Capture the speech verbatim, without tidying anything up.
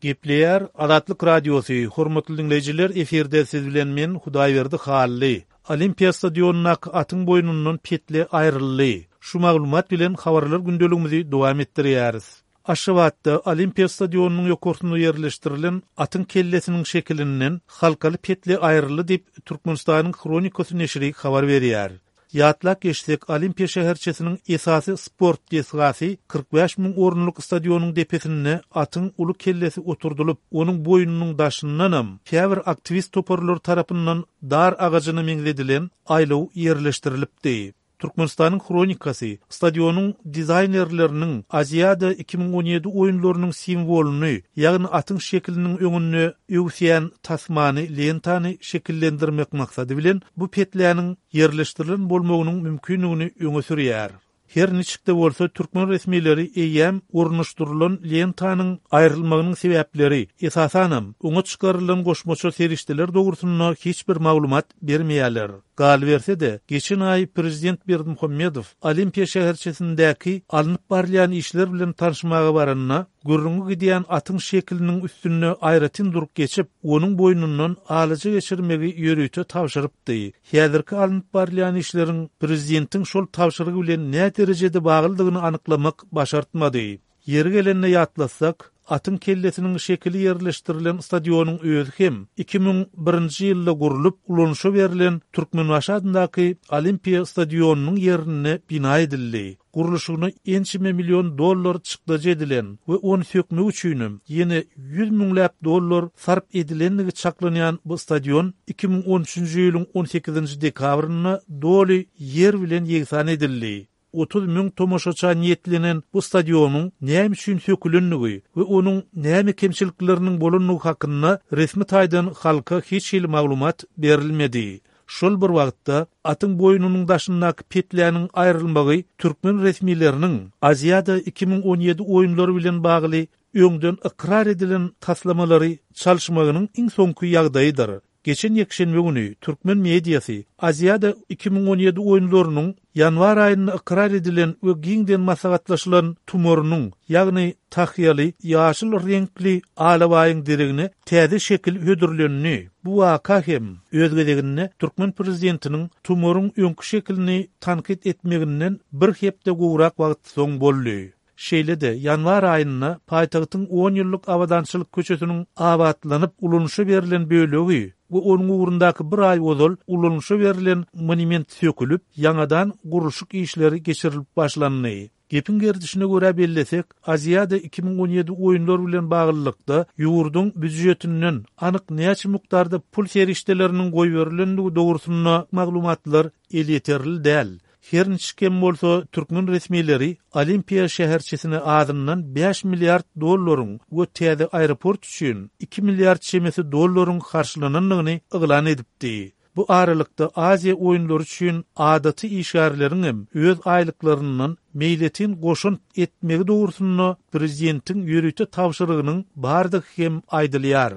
Gepleýär Azatlyk Radiosy, hormatly diňleýjiler, efirde siz bilen men Hudaýberdi Hally. Olimpiýa stadionyndaky atyň boýnundan petle aýryldy. Şu maglumat bilen habarlar gündeligimizi dowam etdirýäris. Aşgabatda Olimpiýa stadionynyň ýokarsynda ýerleşdirilen atyň kellesiniň şekilinden halkaly petle aýryldy diýip, Türkmenistanyň Hronikasy neşiri habar berýär. Ýatlap geçsek, Olimpiýa şäherçesiniň esasy sport desgasy kyrk bäş müň orunlyk stadionyň depesinde atyň uly kellesi oturdylyp, onuň boýnunyň daşyndanam käbir aktiwist toparlary tarapyndan dar agajyna meňzedilen aýlaw ýerleşdirilipdi. Türkmenistanyň Hronikasy stadionyň dizaýnerleriniň Aziada iki müň on ýedi oýunlarynyň simwolyny, ýagny atyň şekiliniň öňünde öwüsýän tasmany, lentany şekillendirmek maksady bilen bu petläniň ýerleşdirilen bolmagynyň mümkindigini öňe sürýär. Her niçik-de bolsa, türkmen resmileri eýýäm ornaşdyrylan lentanyň aýrylmagynyň sebäpleri, esasanam, oňa çykarylan goşmaça serişdeler dogrusynda hiç bir maglumat bermeýärler. Galyberse-de, geçen aý prezident Berdimuhamedow Olimpiýa şäherçesindäki alnyp barylýan işler bilen tanyşmaga baranda, gürrüňi gidýän atyň şekiliniň üstünde aýratyn durup geçip, onuň boýnundan alaja geçirmegi ýörite tabşyrypdy. Häzirki alnyp barylýan işleriň prezidentiň şol tabşyrygy bilen näderejede baglydygyny anyklamak başartmady. Ýeri gelende ýatlatsak, atyň kellesiniň şekili ýerleşdirilen stadionyň özi hem iki müň birinji ýylda gurlup, ulanyşa berlen Türkmenbaşy adyndaky Olimpiýa stadionynyň ýerinde bina edildi. Gurluşygyna ençeme million dollar çykdajy edilen we ony sökmek üçinem ýene ýüz müňläp dollar sarp edilendigi çaklanýan bu stadion iki müň on üçünji ýylyň on sekizinji dekabrynda doly ýer bilen ýegsan edildi. Otuz müň tomaşaça niýetlenen bu stadionyň näme üçin sökülendigi we onuň näme kemçilikleriniň bolandygy hakynda resmi taýdan halka hiç hili maglumat berilmedi. Şol bir wagtda, atyň boýnunyň daşyndaky petläniň aýrylmagy türkmen resmileriniň Aziada iki müň on ýedi oýunlary bilen bagly öňden ykrar edilen taslamalary çalyşmagynyň iň soňky ýagdaýydyr. Geçen ýekşenbe güni türkmen mediasy Aziada iki müň on ýedi oýunlarynyň ýanwar aýynda ykrar edilen we giňden maslahatlaşylan tumarynyň, ýagny tahýaly ýaşyl reňkli alabaýyň deregine täze şekil hödürlendi. Bu waka hem öz gezeginde türkmen prezidentiniň tumaryň öňki şekilini tankyt etmeginden bir hepde gowrak wagt soň boldy. Şeýle-de, ýanwar aýynda paýtagtyň on ýyllyk Abadançylyk köçesiniň abatlanyp ulanyşa berlen bölegi we onuň ugrundaky bir aý ozal ulanyşa berlen monument sökülip, ýaňadan gurluşyk işleri geçirilip başlandy. Gepiň gerdişine görä bellesek, Aziada iki müň on ýedi oýunlary bilen baglylykda ýurduň býujetinden anyk näçe mukdarda pul serişdeleriniň goýberilendigi dogrusynda maglumatlar elýeterli däl. Her niçik hem bolsa, türkmen resmileri Olimpiýa şäherçesine azyndan bäş milliard dollaryň we täze aeroport üçin iki milliard çemesi dollaryň harçlanandygyny yglan edipdi. Bu aralykda Aziýa oýunlary üçin adaty işgärleriň hem öz aýlyklaryndan meýletin goşant etmegi dogrusynda prezidentiň ýörite tabşyrygynyň bardygy hem aýdylýar.